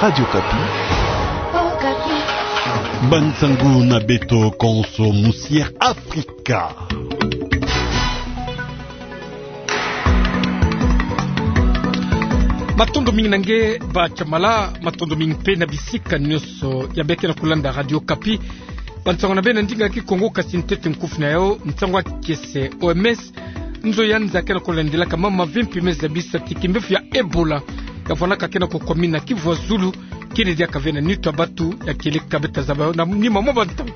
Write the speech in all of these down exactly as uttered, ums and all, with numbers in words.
Radio Okapi. Bansangu na beto konso musi Afrika. Matondo mingi na nge ba Jamala, matondo mingi mpe na bisika nyonso ya bê ke na kulanda Radio Okapi. Bansangu na bê na ndinga kikongo, kasi ntete nkufi na yao, nsangu ya kiese. O M S, nzo ya nza ke na kulandilaka mama vimpi me zabisa ti kimbefu ya Ebola ya vwanaka ke na kukwamina Kivu ya Zulu, kele diaka ve na nitu ya batu ya kieleka bê ta zaba yo na nima mwa bantangu.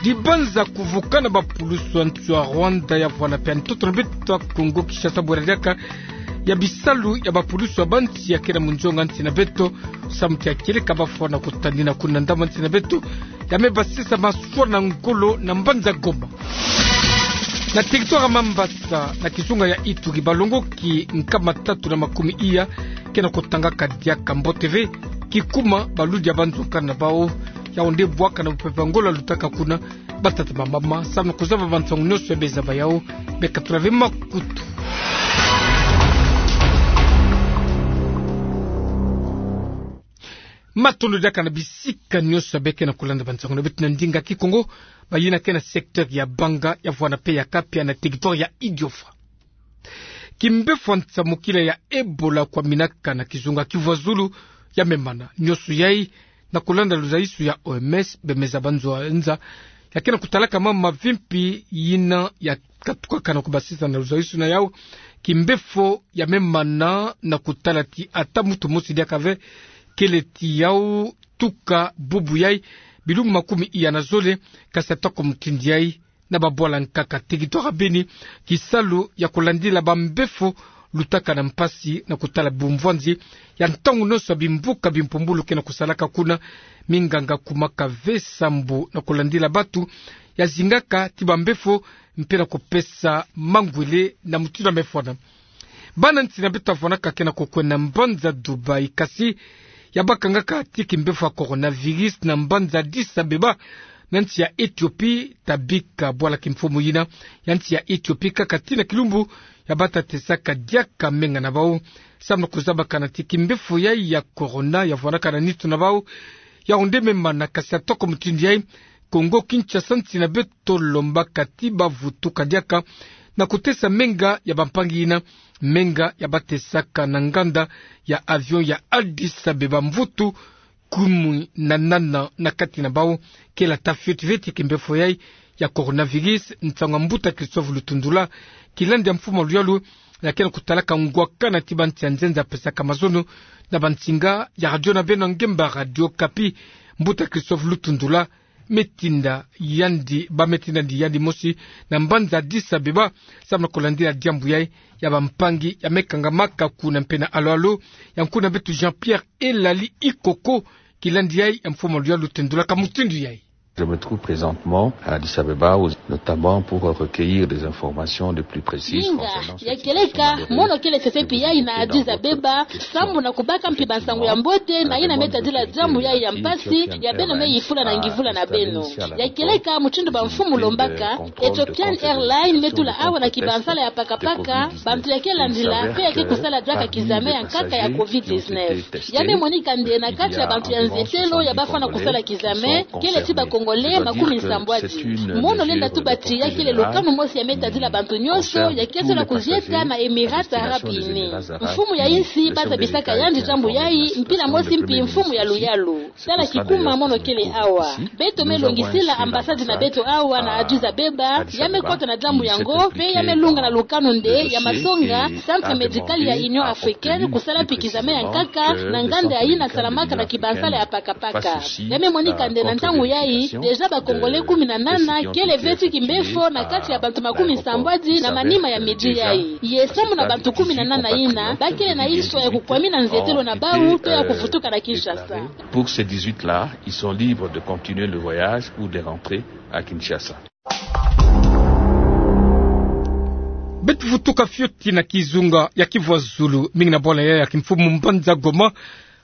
Dibanza kuvukana ba pulusu ya nsi ya Rwanda ya vwana mpe ntoto na beto ya Kongo Kinshasa bwera diaka ya bisalu ya ba pulusu ya bansi ya ke na munzonga nsi na beto, samu ti ya kieleka bafwa na kutadina kuna ndambu ya nsi na beto, ya me basisa maswa na ngolo na mbanza Goma. Na territoire ya Mambasa, na kizunga ya Ituri, balongoki nkama tatu na makumi iya ke na kutangaka diaka mbote ve, kikuma baludi ya banzokana na bau, yao nde bwaka na bupepe ya ngolo ya lutaka kuna. Batata, bamama, samu na kuzaba bansangu nyonso ya bê zaba yao, bê katula ve makutu. Matondo diaka na bisika nyonso ya bê ke na kulanda bansangu na beto na ndinga kikongo, bayina ke na secteur ya Banga, ya vwana mpe ya Kapia na territoire ya Idiofa. Kimbefu ya nsamukila ya Ebola kwaminaka na kizunga Kivu ya Zulu ya me mana. Nyonso yai, na kulanda luzaisu ya O M S, bê me zaba nzo ya nza ya ke na kutalaka mama vimpi yina ya katukaka na kubasisa na luzaisu na yao, kimbefu ya me mana na kutala ti ata muntu mosi diaka ve kele ti yao tuka bubu yai, bilumbu makumi iya na zole, kasi atako mutindu yai, na babwala nkaka. Territoire ya Beni, kisalu ya kulandila bambefu lutaka na mpasi na kutala bumvwanzi ya ntangu nyonso ya bimbuka bimpumbulu ke na kusalaka kuna. Minganga kumaka ve sambu na kulandila batu ya zingaka ti bambefu mpe na kupesa mangwele na mutindu ya me fwana. Bana nsi na beto ya vwanaka ke na kukwenda mbanza Dubaï, kasi ya bakangaka ti kimbefu ya coronavirus na mbanza Addis Abeba, na nsi ya Ethiopie, ta bika bwala kimfumu yina ya nsi ya Ethiopie kaka tii na kilumbu ya bata tesaka diaka menga na bau, samu na kuzabakana ti kimbefu yai ya corona ya vwanaka na nitu na bau, yao nde me mana, kasi atako mutindu yai, Kongo Kinshasa, nsi na beto, lombaka ti bavutuka diaka na kutesa menga ya bampangi yina, menga ya batesaka na nganda ya avion ya Addis Abeba. Mvutu kumi na nana na kati na bau kele ata fioti ve ti kimbefu yai ya coronavirus, nsangu ya mbuta Christophe Lutundula, kilandi ya mfumu ya luyalu ya ke na kutalaka ngwakana ti bansi ya nzenza pesaka mazono na bansinga ya radio na beno ya ngemba Radio Okapi. Mbuta Christophe Lutundula, me tinda yandi, ba me tindandi yandi mosi na mbanza Addis Abeba, samu na kulandila diambu yai ya bampangi ya me kangamaka kuna. Mpe na alo-alo ya nkuna beto Jean-Pierre Elali Ikoko, kilandi yai ya mfumu ya luyalu tendulaka mutindu yai. Je me trouve présentement à Addis Abeba, où, notamment pour recueillir des informations de plus précises. Minga concernant ya kieleka, mono kele fefepi yai na Addis Abeba, sambu na kubaka mpi bansangu ya mbote na yina me tadila diambu yai ya mpasi ya beno me yifula na ngivula na beno. Ya kieleka, mutindu bamfumu lombaka, Ethiopian Airlines me tula awa na kibansala ya pakapaka bantu ya ke landila mpe ya ke kusala diaka kizame ya nkaka ya covid dix-neuf. Ya me monika nde na kati ya bantu ya nzietelo ya bafwana kusala kizame, kele ti ba Congolais makumi sambwadi. Mono lenda tuba ti ya kele lukanu mosi ya me tadila bantu nyonso ya ke sola kuzieta na Emirats Arabes Unis. Mfumu ya insi ba zabisaka yandi diambu yai mpila mosi mpi mfumu ya luyalu. Tala kikuma mono kele awa. Beto me longisila ambassade na beto awa na Addis Abeba, ya me kota na diambu yango, mpe ya me lunga na lukanu nde ya masonga Centre Médical ya Union Africaine kusala mpi kizame ya nkaka na nganda ya yina salamaka na kibansala ya pakapaka. Ya me monika nde na ntangu yai, déjà ba Congolais kumi na nana kele ve ti kimbefo na kati ya bantu makumi sambwadi na manima ya midi yai. Ye sambu na bantu kumi na nana yina, ba kele na histoire ya kukwamina nzietelo na bau, to ya kuvutuka na Kinshasa. Pour ces dix-huit là, ils sont libres de continuer le voyage ou de rentrer à Kinshasa. Beto vutuka fioti na kizunga ya Kivu ya Zulu, mingi na bwala yai ya kimfumu mbanza Goma,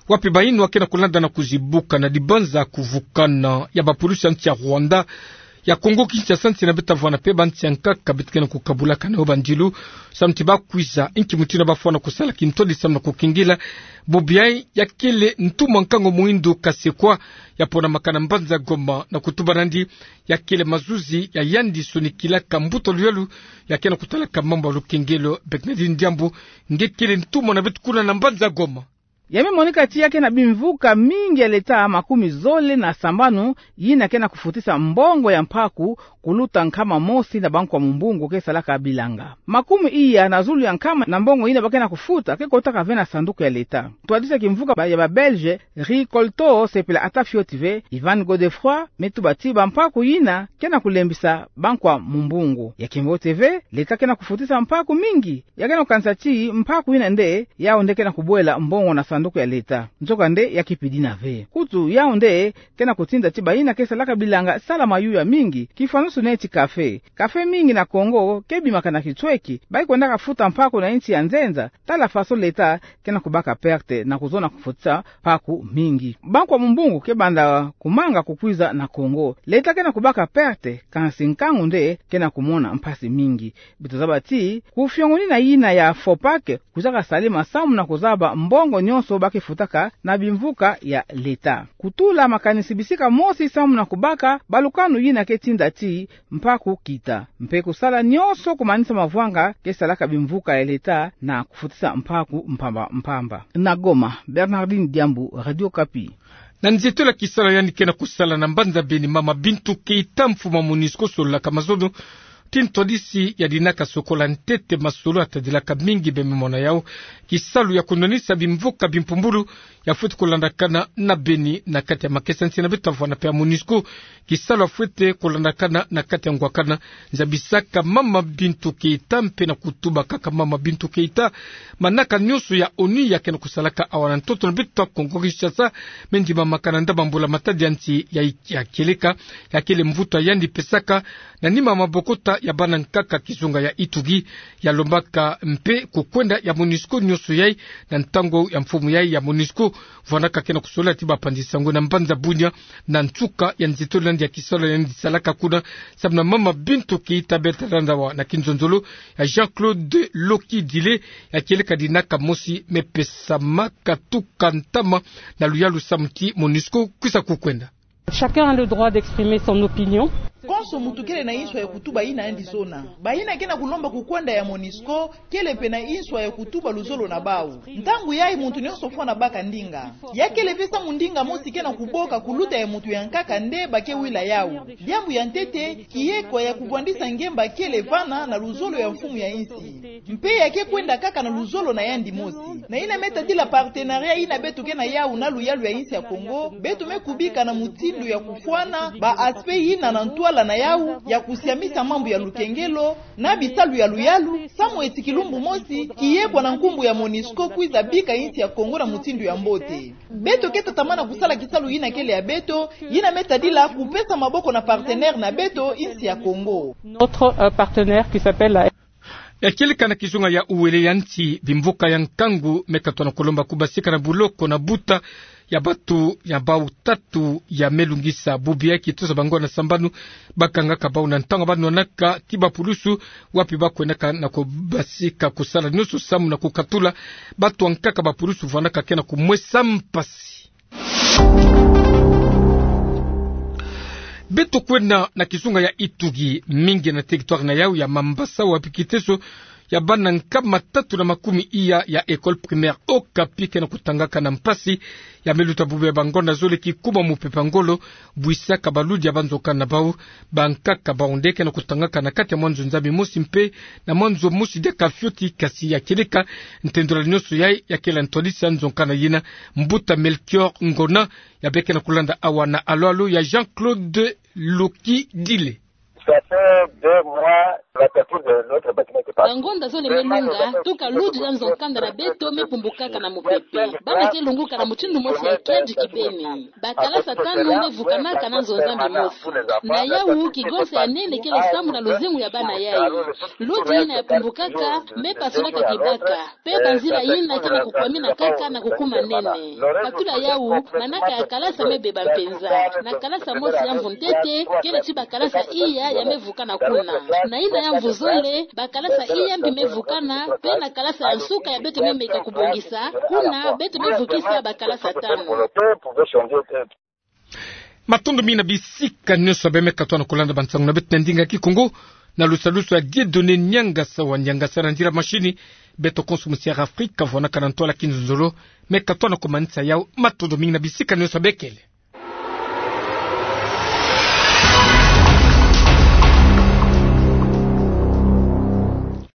wapi bayinwa ke na kulanda na kuzibuka na dibanza kuvukana ya bapulusi ya nsi ya Rwanda Ya Kongo Kinshasa, nsi na beto ta vwanda pe, ba nsi ya nkaka beto ke na kukabulaka na yo bandilu, samu ti bakwiza inki mutindu bafwana kusala kintwadi samu na kukengela. Bobo yayi ya kele ntumwa nkangu muindu kasekwa, ya ponamaka na mbanza Goma na kutuba nandi, ya kele mazuzi ya yandi sonikilaka mbuta luyalu ya ke na kutalaka mambu ya lukengelo. Bernardine Diambu, nge kele ntumwa na beto kuna na mbanza Goma. Ya me monika ti ya ke na bimvuka mingi ya leta makumi zole na sambanu yina ke na kufutisa mbongo ya mpaku kuluta nkama mosi na Banque ya Mumbungu ke salaka bilanga. Makumi iya na zulu ya nkama na mbongo yina ba ke na kufuta ke kotaka ve na sanduku ya leta. Twadisa kimvuka ba, ya ba Belge, Ricolto, sepela ata fioti ve, Ivan Godefroid, me tuba ti bampaku yina ke na kulembisa Banque ya Mumbungu. Ya kimbote ve, leta ke na kufutisa mpaku mingi. Ya ke na kukanisa ti mpaku yina nde, yau nde ke na kubwela mbongo na sanduku ya leta. Nzoka nde ya kipidina ve. Kutu yau nde ke na kutinda ti bayina ke salaka bilanga sala mayuya mingi, kifwanusu neti café. Café mingi na Kongo ke bimaka na kitsweki, bayi kwendaka futa mpaku na insi ya nzenza. Tala faso leta ke na kubaka perte na kuzona kufutisa mpaku mingi. Banque ya Mumbungu ke banda kumanga kukwiza na Kongo. Leta ke na kubaka perte, kansi nkangu nde ke na kumona mpasi mingi. Beto zaba ti, kufiongonina yina ya FOPAC, kwizaka salama samu na kuzaba mbongo nyonso ba ke futaka na bimvuka ya leta. Kutula makanisi bisika mosi samu na kubaka balukanu yina ke tinda ti mpaku kita. Mpe kusala nyonso kumanisa mavwanga ke salaka bimvuka ya leta na kufutisa mpaku mpamba mpamba. Na Goma, Bernardine Diambu, Radio Okapi. Na nzietolo ya kisalu yandi ke na kusala na mbanza Beni, mama Bintou Keita, mfumu ya MONUSCO, sololaka mazono ti ntwadisi ya dinaka sokola ntete masolo atadilaka mingi bembe mwana yau. Kisalu ya kunwanisa bimvuka bimpumbulu ya fwete kulandakana na Beni na kati ya makesa. Nsi na beto ta vwanda pe ya MONUSCO, kisalu ya fwete kulandakana na kati ya ngwakana. Nzabisaka mama Bintou Keita mpe na kutubakaka mama Bintou Keita manaka nyonso ya ONU ya ke na kusalaka awa na ntoto na beto ya Kongo Kinshasa, me ndimamaka na ndambu ya mbula matadi ya nsi ya, ya kieleka, ya kele mvutu ya yandi pesaka na nima mabokota ya bana nkaka kizunga ya Ituri. Ya lombaka mpe kukwenda ya MONUSCO nyonso yai na ntangu ya mfumu yai ya MONUSCO, vwandaka ke na kusolila ti ba panzi sango na mbanza Bunia, na nsuka ya nzietolo yandi ya kisalu yandi salaka kuna, samu na mama Bintou Keita. Beto ta landa awa na kinzonzolo ya Jean-Claude Lokidile, ya kieleka dinaka mosi me pesamaka tuka ntama na luyalu samu ti MONUSCO kwisa kukwenda. Chacun a le droit d'exprimer son opinion. Konso muntu kele na inswa ya kutuba yina yandi zona. Bayina ke na kulomba kukwenda ya MONUSCO kele mpe na inswa ya kutuba luzolo na bau. Ntangu yai muntu nyonso fwana baka ndinga. Ya kele mpe samu ndinga mosi ke na kuboka kuluta ya muntu ya nkaka nde ba ke wila yau. Diambu ya ntete, kiekwa ya kuvwandisa ngemba kele vana na luzolo ya mfumu ya insi. Mpe ya ke kwenda kaka na luzolo na yandi mosi. Na yina me tadila partenariat yina beto ke na yau na luyalu ya insi ya Kongo, beto me kubika na mutindu ya kufwana ba aspect yina na ntwala na yau ya kusiamisa mambu ya lukengelo na bisalu ya luyalu, samu eti kilumbu mosi, kiekwa na nkumbu ya MONUSCO kwiza bika insi ya Kongo na mutindu ya mbote. Beto ke tatamana kusala kisalu yina kele ya beto, yina me tadila kupesa maboko na partenaire na beto, insi ya Kongo. Notre, euh, partenaire qui s'appelle la... Ya kieleka na kizunga ya uwele ya nsi, bimvuka ya nkangu me katwa na kulomba kubasika na buloko na buta ya bantu ya bau tatu ya me lungisa bubu ya kitosa bango na sambanu. Bakangaka bau na ntangu ba nwanaka ti bapulusu, wapi ba kwendaka na kubasika kusala nyonso samu na kukatula bantu ya nkaka bapulusu vwandaka ke na kumwesa mpasi. Beto kwenda na kizunga ya Ituri, mingi na territoire na yau ya Mambasa, wapi kiteso ya bana nkama tatu na makumi iya ya école primaire Okapi ke na kutangaka na mpasi. Ya me luta bubu ya bangonda zole kikuma mupepe ya ngolo, bwisaka baludi ya banzoka na bau. Bankaka bau nde ke na kutangaka na kati ya mwanzo nzambi mosi mpe na mwanzo mosi diaka fioti, kasi ya kieleka ntendola nyonso yai ya kele ntwadisi ya nzoka na yina. Mbuta Melchior Ngona, ya beke na kulanda awa na alo-alo ya Jean-Claude Lokidile. Ça fait deux mois Bangonda zole me lunga, tuka ludi ya nzo-kanda na beto me pumbukaka na mupepe. Bana ke lunguka na mutindu mosi ya kiadi kibeni. Bakalasa tanu me vukanaka na nzo-Nzambi mosi. Na yawu, kigonsa ya nene kele sambu na luzingu ya bana yayi. Ludi yina ya pumbukaka me pasulaka kibaka. Pe banzila yina ke na kukwamina kaka na kukuma nene. Katula yawu, manaka ya kalasa me beba mpenza. Na kalasa mosi ya mvu ntete, kele ti bakalasa iya ya me vukana kuna. Na yina ya mvu zole, bakalasa iya mbi me vukana, pe na kalasa ya nsuka ya beto me meka kubongisa, kuna beto me vukisa bakalasa tanu. Matondo mingi na bisika nyonso bê me katoa na kulanda bansangu na beto na ndinga Kikongo, na lusalusu ya Dieudonné Niangasa wa Niangasa na nzila mashini. Beto konso musiara Afrika vwanaka na ntwala kinzonzolo, me katoa na kumanisa yawu. Matondo mingi na bisika nyonso bê kele.